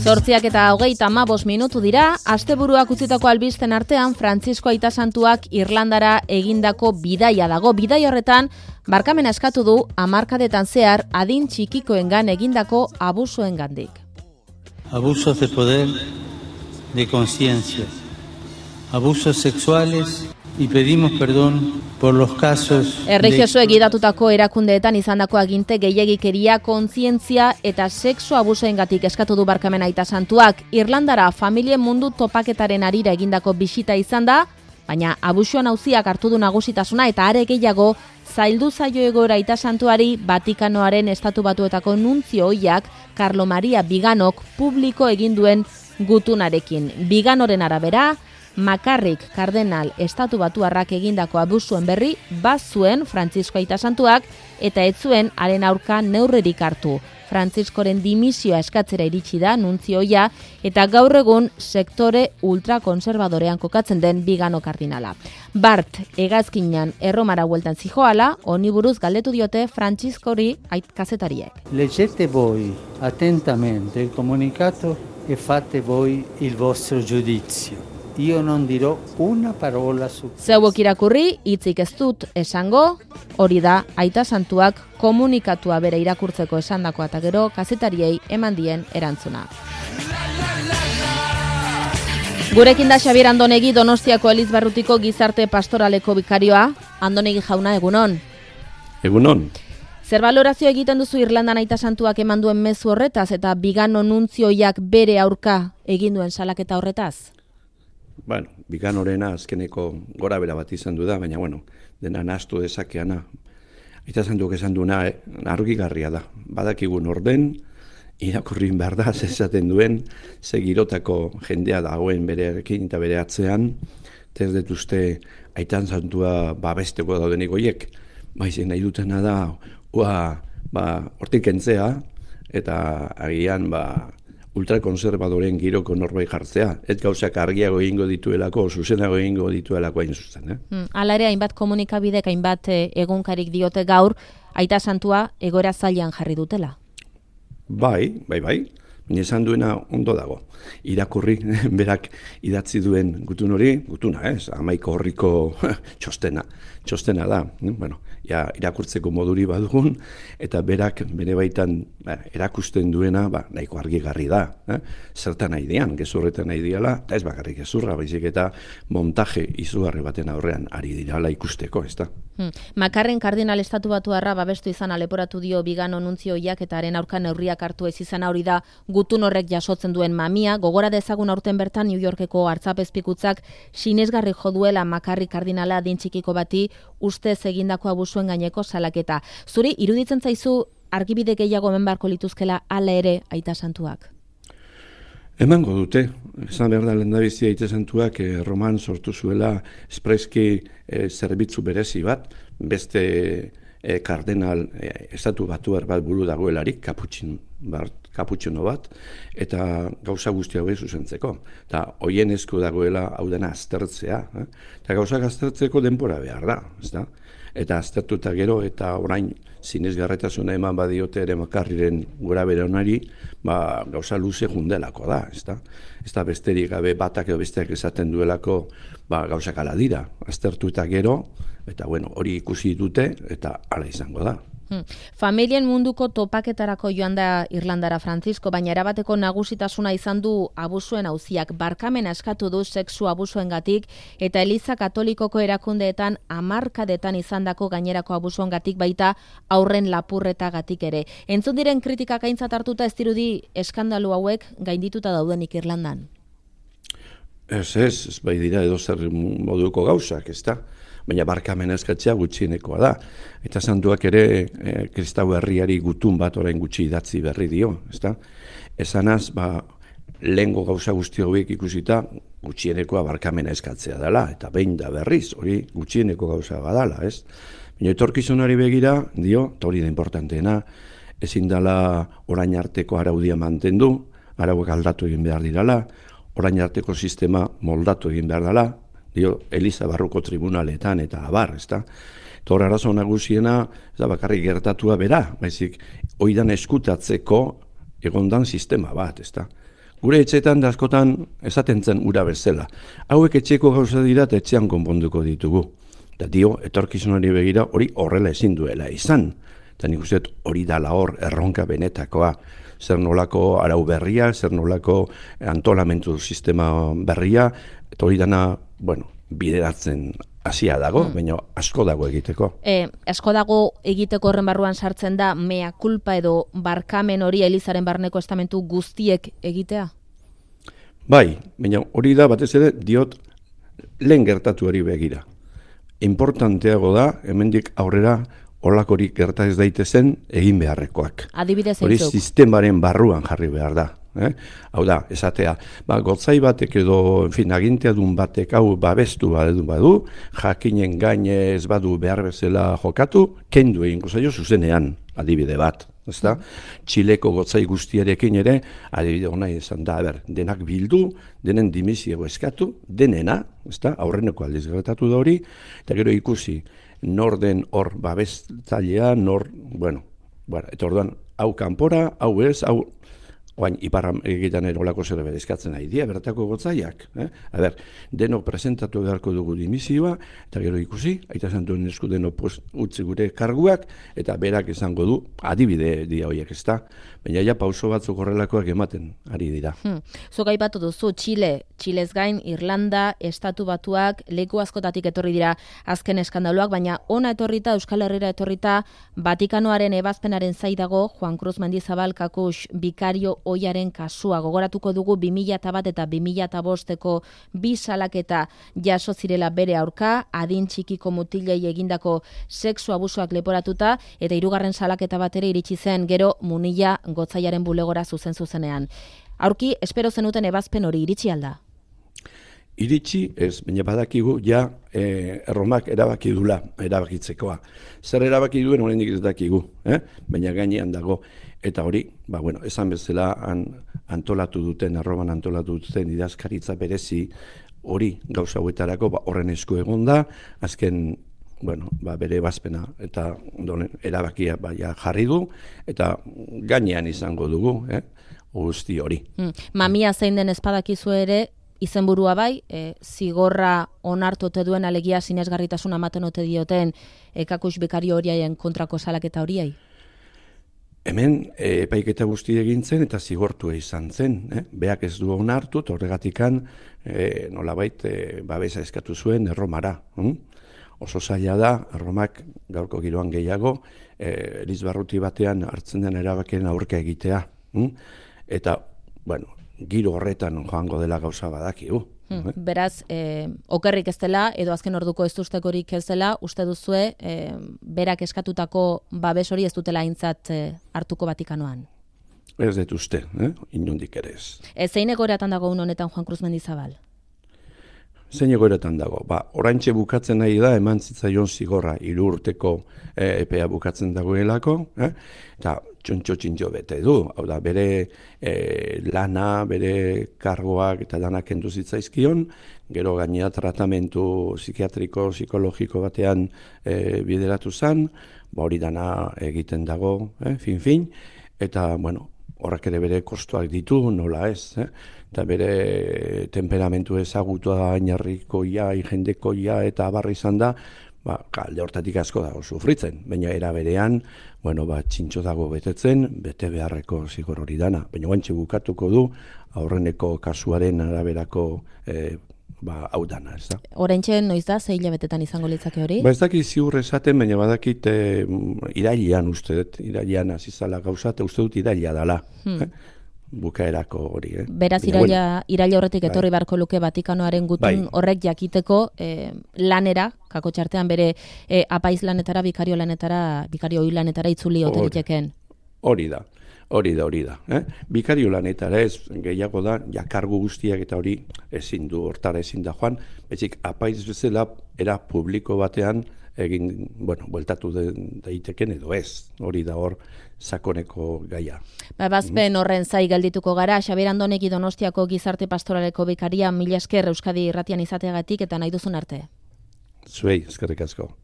8:35 dira, asteburuak utzitako albisten artean Frantzisko Aita Santuak Irlandara egindako bidaia dago. Bidaia horretan, barkamena eskatu du hamarkadetan zehar adin txikikoengan egindako abusuengandik. Abusos de poder, de conciencia, abusos sexuales y pedimos perdón por los casos. Erlijiosoek gidatutako erakundeetan izandako aginte gehiegikeria, kontzientzia eta sexu abusoengatik eskatu du barkamena Aita Santuak. Irlandara familien mundu topaketaren harira egindako bisita izan da, baina abusuan auziak hartu du nagusitasuna eta are gehiago zaildu zaio egoera Aita Santuari Vatikanoaren estatu batuetako nuntzio ohiak Carlo Maria Viganok publiko egin duen gutunarekin. Viganoren arabera, makarrik kardenal estatu batuarrak egindako abusuen berri bazuen Frantzisko Aita Santuak eta ez zuen haren aurka neurririk hartu. Frantziskoren dimisioa eskatzera iritsi da nuntzioia eta gaur egun sektore ultrakonservadorean kokatzen den Vigano kardinala. Bart hegazkinan Erromara bueltan zijoala, honi buruz galdetu diote Frantziskori kazetariek. Leggete voi attentamente il comunicato e fate voi il vostro giudizio. Io non dirò una parola su. Zeuok irakurri, hitzik ez dut esango, hori da Aita Santuak komunikatua bere irakurtzeko esandakoa eta gero kazetariei eman dien erantzuna. Gurekin da Xabier Andonegi, Donostiako Elizbarrutiko gizarte pastoraleko bikarioa. Andonegi jauna, egunon. Egunon. Zer balorazio egiten duzu Irlandan Aita Santuak eman duen mezu horretaz eta Vigano nuntzioiak bere aurka egin duen salaketa horretaz? Bueno, Viganorena azkeneko gora bera bat izan du da, baina dena nahastu dezakeana. Aita Santuak esan duena argigarria da. Badakigun orden, irakurrin behar da, esaten duen, segirotako jendea dagoen berearekin eta bere atzean, ez dut uste Aita Santua babesteko daudenik goiek, baizik nahi dutena da, hortik entzea, eta agian ultrakonservadoren giroko norbait jartzea, ez gauzak argiago egingo dituelako, zuzenago egingo dituelako hain zuzen. Hala ere, hainbat komunikabidek, hainbat egunkarik diote gaur, Aita Santua egoera zailean jarri dutela. Bai. Baina esan duena ondo dago. Irakurri, berak idatzi duen gutuna, 11 horriko txostena da. Irakurtzeko moduri badugun, eta berak bere baitan erakusten duena nahiko argigarri da. Zertan nahi dian, gezurretan nahi diala, eta ez bakarrik gezurra, baizik eta montaje izugarri baten aurrean ari dirala ikusteko, ez da. Makarren kardinal estatu batuarra babestu izan aleporatu dio Vigano nuntzioiak eta haren aurka neurriak hartu ez izan hori da gutun horrek jasotzen duen mamia. Gogora dezagun aurten bertan New Yorkeko artzapezpikutzak sinesgarri jo duela Makarri kardinala adin txikiko bati ustez egindako abusuen gaineko salaketa. Zuri iruditzen zaizu argibide gehiago hemen beharko lituzkela hala ere Aita Santuak? Emango dute, esan behar da lehendabizi Aita Santuak Roman sortu zuela espreski zerbitzu berezi bat, beste kardenal estatu batuar bat buru dagoelarik, kaputxino bat, eta gauza guzti hauek zuzentzeko. Eta hoien esku dagoela hau dena aztertzea, eta gauzak aztertzeko denbora behar da, ez da? Eta aztertuta gero, eta orain sinesgarritasuna eman badiote ere Makarriren gora bere honari, gauza luze jundelako da, ez da? Ez da besterik gabe batak edo besteak esaten duelako gauzak ala dira, aztertuta gero, eta hori ikusi dute, eta hala izango da. Familien munduko topaketarako joan da Irlandara Frantzisko, baina erabateko nagusitasuna izan du abusuen auziak. Barkamena eskatu du sexu abusuengatik eta Eliza Katolikoko erakundeetan hamarkadetan izandako gainerako abusuengatik baita aurren lapurretagatik ere. Entzun diren kritikak aintzat hartuta ez dirudi eskandalu hauek gaindituta daudenik Irlandan. Ez bai dira edo zer moduko gauzak, ez da? Baina barkamena eskatzea gutxienekoa da. Eta Santuak ere kristau herriari gutun bat orain gutxi idatzi berri dio, ezta? Esanaz, lehengo gauza guzti hauek ikusita gutxienekoa barkamena eskatzea dela, eta behin da berriz, hori gutxieneko gauza badala, ez? Baina etorkizunari begira, dio, eta hori da importanteena, ezin dela orain arteko araudia mantendu, arauak aldatu egin behar dirala, orain arteko sistema moldatu egin behar dela, dio, Eliza barruko tribunaletan eta abar, ezta? Hor arazo nagusiena, ez da bakarrik gertatua bera, baizik, oidan eskutatzeko egondan sistema bat, ezta? Gure etxetan da askotan esaten zen ura bezala. Hauek etxeko gauza dira eta etxean konponduko ditugu. Eta dio, etorkizunari begira hori horrela ezin duela izan. Eta nik uste hori dala hor erronka benetakoa. Zer nolako arau berria, zer nolako antolamentu sistema berria, eta hori dana, bideratzen hasia dago, baina asko dago egiteko. Asko dago egiteko horren barruan sartzen da mea culpa edo barkamen hori Elizaren barneko estamentu guztiek egitea? Bai, baina hori da batez ere diot lehen gertatu hori begira. Importanteago da, hemendik aurrera holakorik gerta ez daitezen egin beharrekoak. Adibidez hori sistemaren barruan jarri behar da. Hau da, esatea, gotzai batek edo, aginteadun batek hau babestu badu, jakinen gaine ez badu behar bezala jokatu, kendu egingo zaio zuzenean, adibide bat. Ezta? Txileko gotzai guztiarekin ere, adibide hona izan da, denak bildu, denen dimisio eskatu, denena, ezta? Aurreneko aldiz gertatu da hori, eta gero ikusi, nor den hor babestzailea, eta orduan, hau kanpora, hau ez, hau oain iparra egiten erolako zer eskatzen nahi dira, bertako gotzaiak. Denok presentatu beharko dugu dimisioa, eta gero ikusi, aita santuen esku denok utzi gure karguak, eta berak izango du, adibide dira horiek ez da, baina ja pauso batzuk horrelakoak ematen ari dira. Zuk aipatu duzu, Txilez gain, Irlanda, Estatu Batuak, leku askotatik etorri dira azken eskandaloak, baina ona etorrita, Euskal Herrira etorrita, Vatikanoaren ebazpenaren zai dago, Juan Cruz Mendizabal Kakush bikario oiaren kasua. Gogoratuko dugu 2001 eta 2005eko bi salaketa jaso zirela bere aurka, adin txikiko mutilei egindako sexu abusuak leporatuta, eta 3. salaketa bat ere iritsi zen gero Munilla gotzaiaren bulegora zuzenean. Aurki, espero zenuten ebazpen hori iritsi alda? Iritsi ez, baina badakigu ja Erromak erabaki dula, erabakitzekoa. Zer erabaki duen oraindik ez dakigu, baina gainean dago. Eta hori, esan bezala antolatu duten, Erroman antolatu duten idazkaritza berezi hori gauza hauetarako horren esku egon da, azken bere ebazpena eta erabakia jarri du, eta gainean izango dugu, guzti hori. Mamia zein den ezpadakizu ere, izenburua bai, zigorra onartu ote duen alegia sinesgarritasun ematen ote dioten Kakush bikario horiaien kontrako salaketa horiei? Hemen epaiketa guzti egin zen eta zigortua izan zen. Beak ez du onartu, eta horregatikan nolabait babesa eskatu zuen Erromara. Oso zaila da, Erromak gaurko giroan gehiago, Elizbarruti batean hartzen den erabakien aurka egitea. Eta, giro horretan joango dela gauza badakigu. Beraz, okerrik ez dela, edo azken orduko ez duztekorik ez dela, uste duzue, berak eskatutako babes hori ez dutela aintzat hartuko Vatikanoan? Ez dut uste, inondik ere ez. Zein egoeratan dago honetan Juan Cruz Mendizabal? Zein egoeretan dago? Oraintxe bukatzen nahi da, eman zitzaion zigorra 3 urteko epea bukatzen dagoelako, eta txontxo bete du, hau da, bere lana, bere kargoak eta danak kendu zitzaizkion, gero gainera tratamentu psikiatriko, psikologiko batean bideratu zen, hori dana egiten dago, fin, eta, horrek ere bere kostuak ditu, nola ez, eta bere temperamentu ezagutua, ainarrikoia, jendekoia eta abarri izan da, alde hortatik asko dago sufritzen, baina era berean, txintxo dago betetzen, bete beharreko zigor hori dana, baina guantxe bukatuko du, aurreneko kasuaren araberako hau dana, ez da. Oraintxe noiz da, 6 hilabetetan izango litzake hori? Ez dakit ziur esaten, baina badakit irailean uste dut, irailean azizala gauza, eta uste dut irailea dala. Bukaerako hori. Beraz, iraila horretik etorri beharko luke Vatikanoaren gutun horrek jakiteko lanera, kakotxartean bere apaiz lanetara, bikario ohi lanetara itzuli ote liteken. Hori da. Bikario lanetara ez gehiago da, jakargu guztiak eta hori ezin du, hortara ezin da joan, betzik apaiz bezala era publiko batean egin, bueltatu daiteken edo ez, hori da hor sakoneko gaia. Bazpen horren zai geldituko gara, Xabier Andonegi Donostiako Gizarte Pastoraleko bikaria, mila esker Euskadi Irratian izateagatik eta nahi duzun arte. Zuei, eskerrik asko.